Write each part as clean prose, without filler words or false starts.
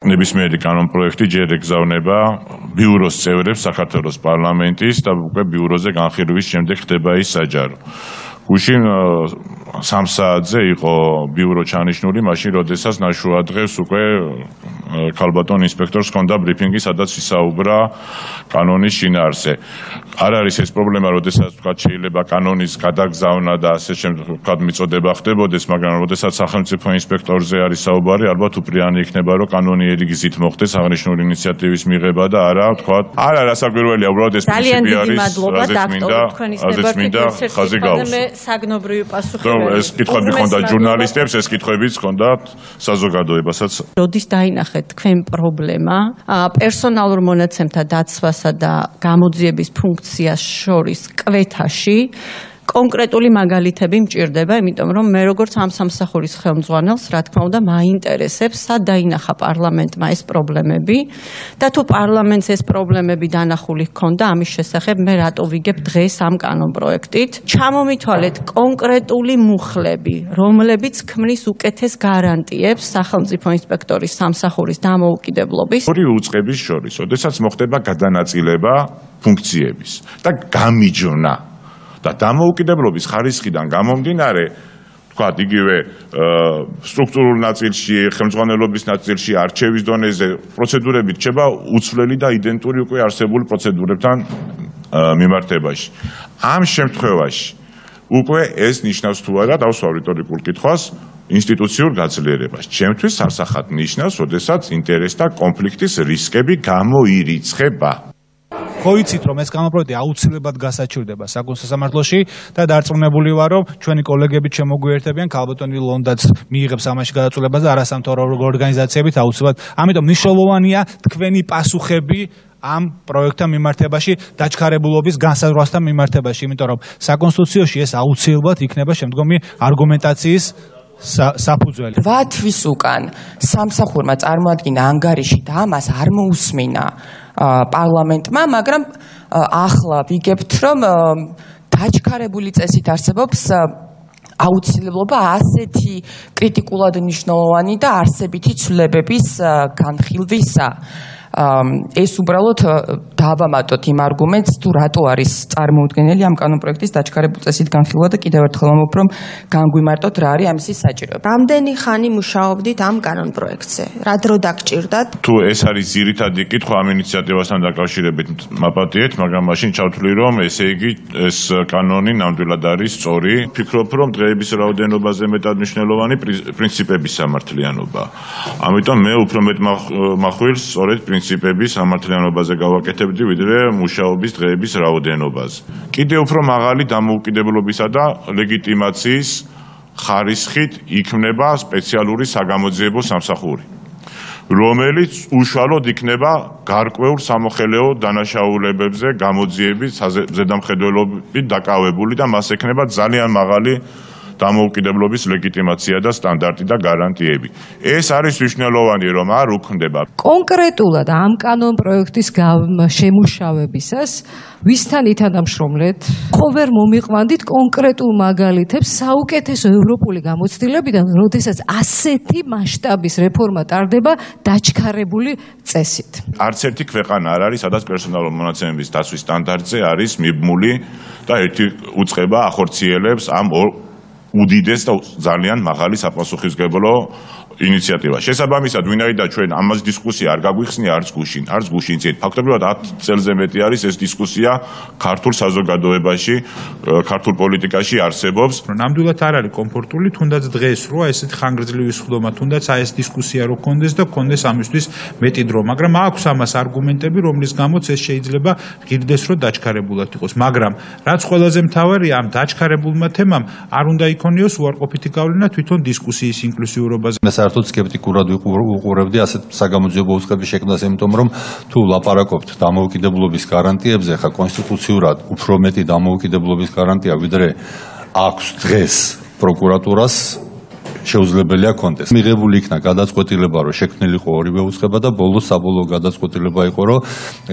ნებისმიერი კანონპროექტი ჯერ ეგზავნება ბიუროს წევრებს საქართველოს პარლამენტის და უკვე ბიუროზე განხილვის შემდეგ ხდება ის საჯარო. გუშინ 3 საათზე იყო ბიურო ჩანიშნული, მაშინ როდესაც ნაშუა დღეს უკვე ქალბატონ ინსპექტორს ჰქონდა ბრიფინგი, სადაც ისაუბრა კანონის შინაარსზე. არ არის ეს პრობლემა, როდესაც თქვა შეიძლება კანონის გადაგზავნა და ასე შემდგომ მიწოდება ხდებოდეს, მაგრამ როდესაც სახელმწიფო ინსპექტორზე არის საუბარი, ალბათ უპირიანი იქნება, რომ კანონიერი გზით მოხდეს აღნიშნული ინიციატივის მიღება და არა, თქვა, არა რასაკვირველია, უბრალოდ ეს პრინციპი არის, რაზეც მინდა ხაზი გავუსვა. საგნობრივი პასუხი. ეს კითხვები ჰქონდა ჟურნალისტებს, ეს კითხვებიც ჰქონდათ საზოგადოებასაც. როდის დაინახეთ თქვენ პრობლემა პერსონალურ მონაცემთა დაცვასა და გამოძიების ფუნქციას შორის კვეთაში კონკრეტული მაგალითები მჭირდება, იმიტომ რომ მე როგორც ამ სამსახურის ხელმძღვანელს, რა თქმა უნდა, მაინტერესებს, სად დაინახა პარლამენტმა ეს პრობლემები და თუ პარლამენტს ეს პრობლემები დანახული ჰქონდა, ამის შესახებ მე რატო ვიგებ დღეს ამ კანონპროექტით. ჩამომითვალეთ კონკრეტული მუხლები, რომლებიც ქმნის უკეთეს გარანტიებს სახელმწიფო ინსპექტორის სამსახურის დამოუკიდებლობის. ორი უწყების შორის, ოდესაც მოხდება გადანაწილება ფუნქციების და გამიჯვნა და დამოუკიდებლობის ხარისხიდან გამომდინარე, თქვათ, იგივე სტრუქტურულ ნაწილში, ხელმძღვანელობის ნაწილში, არჩევის დონეზე პროცედურები რჩება უცვლელი და იდენტური უკვე არსებული პროცედურებთან მიმართებაში. ამ შემთხვევაში უკვე ეს ნიშნავს თუ არა, დავსვამ რიტორიკულ კითხვას, ინსტიტუციურ გაძლიერებას. ჩემთვის სასახად ნიშნავს, როდესაც ინტერესთა კონფლიქტის რისკები გამოირიცხება. ხო იცით რომ ეს კანონპროექტი აუცილებლად გასაჩივრდება საკონსულტაციო სამართლოში და დარწმუნებული ვარ რომ ჩვენი კოლეგები შემოგვიერთებიან ქალბატონი ლონდაც მიიღებს ამაში გადაწყვეტილებას და არასამთავრობო ორგანიზაციებით აუცილებლად. ამიტომ მნიშვნელოვანია თქვენი პასუხები ამ პროექტთან მიმართებაში, დაჩქარებულობის განსაზღვრასთან მიმართებაში, იმიტომ რომ საკონსტიტუციაში ეს აუცილებლად იქნება შემდგომი არგუმენტაციის საფუძველი. 8 თვის უკან სამსახურმა წარმოადგინა ანგარიში და ამას არ მოусმინა პარლამენტმა, მაგრამ ახლა ვიგებთ, რომ დაჩქარებული წესით არსებობს აუცილებლობა ასეთი კრიტიკულად მნიშვნელოვანი და არსებითი ცვლილებების განხილვისა. ეს უბრალოდ დავამატოთ იმ არგუმენტს, თუ რატო არის წარმოუდგენელი ამ კანონპროექტის დაჩქარებულ წესით განხილვა და კიდევ ერთხელ ვამბობ, რომ განგვიმარტოთ რა არის ამისი საჭიროება. რამდენი ხანი მუშაობდით ამ კანონპროექტზე? რა დრო დაგჭირდათ? თუ ეს არის ძირითადი კითხვა ამ ინიციატივასთან დაკავშირებით მაპატიეთ, მაგრამ მაშინ ჩავთვლი, რომ ესე იგი ეს კანონი ნამდვილად არის სწორი. ვფიქრობ, რომ დღეების რაოდენობაზე მეტად მნიშვნელოვანი პრინციპების სამართლიანობა. ამიტომ მე უფრო მეტ მახვილს სწორედ პრინციპების სამართლიანობაზე გავაკეთებდი, ვიდრე მუშაობის დღეების რაოდენობაზე. კიდევ უფრო მაღალი დამოუკიდებლობისა და ლეგიტიმაციის ხარისხით იქმნება სპეციალური საგამოძიებო სამსახური, რომელიც უშუალოდ იქნება გარკვეულ სამოხელეო დანაშაულებებზე გამოძიების ზედამხედველობით დაკავებული და მას ექნება ძალიან მაღალი დამოუკიდებლობის ლეგიტიმაცია და სტანდარტი და გარანტიები. ეს არის მნიშვნელოვანი, რომ არ უქმდება. კონკრეტულად ამ კანონპროექტის შემუშავებისას ვისთან ითანამშრომლეთ? ხო ვერ მომიყვანდით კონკრეტულ მაგალითებს საუკეთესო ევროპული გამოცდილებიდან, როდესაც ასეთი მასშტაბის რეფორმა ტარდება დაჩქარებული წესით? არც ერთი ქვეყანა არ არის, სადაც პერსონალურ მონაცემების დაცვის სტანდარტზე არის მიბმული და ერთი უწყება ახორციელებს ამ უდიდეს და ძალიან მაღალი საპასუხისმგებლო ინიციატივა. შესაბამისად, ვინაიდან ჩვენ ამას დისკუსია არ გაგვიხსნია არც გუშინ წინ. ფაქტობრივად 10 წელზე მეტი არის ეს დისკუსია ქართულ საზოგადოებაში, ქართულ პოლიტიკაში არსებობს. ნამდვილად არ არის კომფორტული, თუნდაც დღეს როა ესეთ ხანგრძლივი სხდომა, თუნდაც აი ეს დისკუსია რო გქონდეს და გქონდეს ამისთვის მეტი დრო, მაგრამ აქვს ამას არგუმენტები, რომლის გამოც ეს შეიძლება ღირდეს რომ დაჩქარებულად იყოს. მაგრამ რაც ყველაზე მთავარია, ამ დაჩქარებულმა თემამ არ უნდა იქონიოს უარყოფითი გავლენა თვითონ დისკუსიის ინკლუსიურობაზე. საერთოდ სკეპტიკურად ვუყურებდი ასეთ საგამოძიებო უწყების შექმნას, იმიტომ რომ თუ ლაპარაკობთ დამოუკიდებლობის გარანტიებზე, ხა კონსტიტუციურად უფრო მეტი დამოუკიდებლობის გარანტია, ვიდრე აქვს დღეს პროკურატურას, შეუძლებელია კონდეს. მიღებული იქნა გადაწყვეტილება, რომ შექმნილიყო ორივე უწყება და ბოლოს საბოლოო გადაწყვეტილება იყო, რომ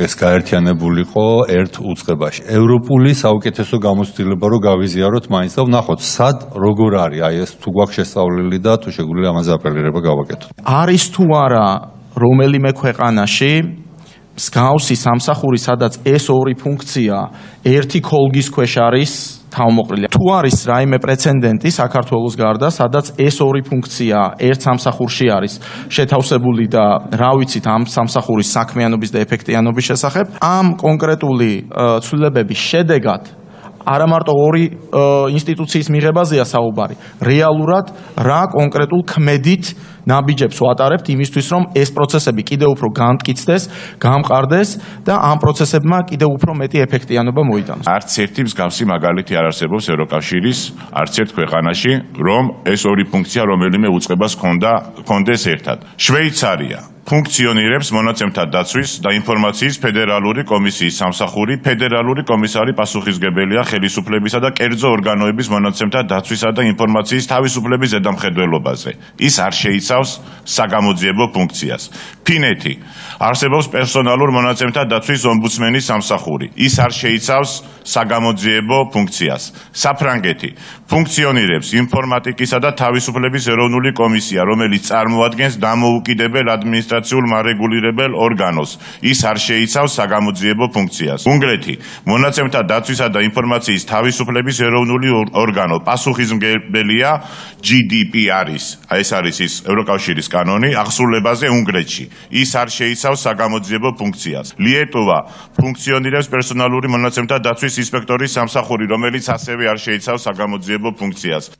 ეს გაერთიანებულიყო ერთ უწყებაში. ევროპული საუკეთესო გამოცდილება რომ გავიზიაროთ მაინც და ვნახოთ, სად როგორ არის, აი ეს თუ გვაქვს შესწავლილი და თუ შეგვიძლია ამაზე აპელირება გავაკეთოთ. არის თუ არა რომელიმე ქვეყანაში მსგავსი სამსახური, სადაც ეს ორი ფუნქცია ერთი ქოლგის ქვეშ არის თავმოყრილი. თუ არის რაიმე პრეცედენტი საქართველოს გარდა, სადაც ეს ორი ფუნქცია ერთ სამსახურში არის შეთავსებული და რა ვიცით ამ სამსახურის საქმიანობის და ეფექტიანობის შესახებ, ამ კონკრეტული ცვლილებების შედეგად არა მარტო ორი ინსტიტუციის მიღებაზეა საუბარი, რეალურად რა კონკრეტულ ქმედით ნაბიჯებს ვატარებთ იმისთვის, რომ ეს პროცესები კიდევ უფრო განმტკიცდეს, გამყარდეს და ამ პროცესებმა კიდევ უფრო მეტი ეფექტიანობა მოიტანოს. არც ერთი მსგავსი მაგალითი არ არსებობს ევროკავშირის არც ერთ ქვეყანაში, რომ ეს ორი ფუნქცია რომელიმე უწყებას ჰქონდეს ერთად. შვეიცარია ფუნქციონირებს მონაცემთა დაცვის და ინფორმაციის ფედერალური კომისიის სამსახური, ფედერალური კომისარი პასუხისმგებელია ხელისუფლებისა და კერძო ორგანოების მონაცემთა დაცვისა და ინფორმაციის თავისუფლების ზედამხედველობაზე. ის არ შეიცავს საგამოძიებო ფუნქციას. ფინეთი არსებობს პერსონალურ მონაცემთა დაცვის ომბუდსმენის სამსახური. ის არ შეიცავს საგამოძიებო ფუნქციას. საფრანგეთი ფუნქციონირებს ინფორმატიკისა და თავისუფლების ეროვნული კომისია, რომელიც წარმოადგენს დამოუკიდებელ ადმინისტრაციულ მარეგულირებელ ორგანოს. ის არ შეიცავს საგამოძიებო ფუნქციას. უნგრეთი მონაცემთა დაცვისა და ინფორმაციის თავისუფლების ეროვნული ორგანო, პასუხისმგებელია GDPR-ის, ეს არის ის ევროკავშირის კანონი აღსრულებაზე უნგრეთში. ის არ შეიცავს საგამოძიებო ფუნქციას. ლიეტუვა ფუნქციონირებს პერსონალური მონაცემთა დაცვის ინსპექტორის სამსახური, რომელიც ასევე არ შეიცავს საგამოძიებო ფუნქციას.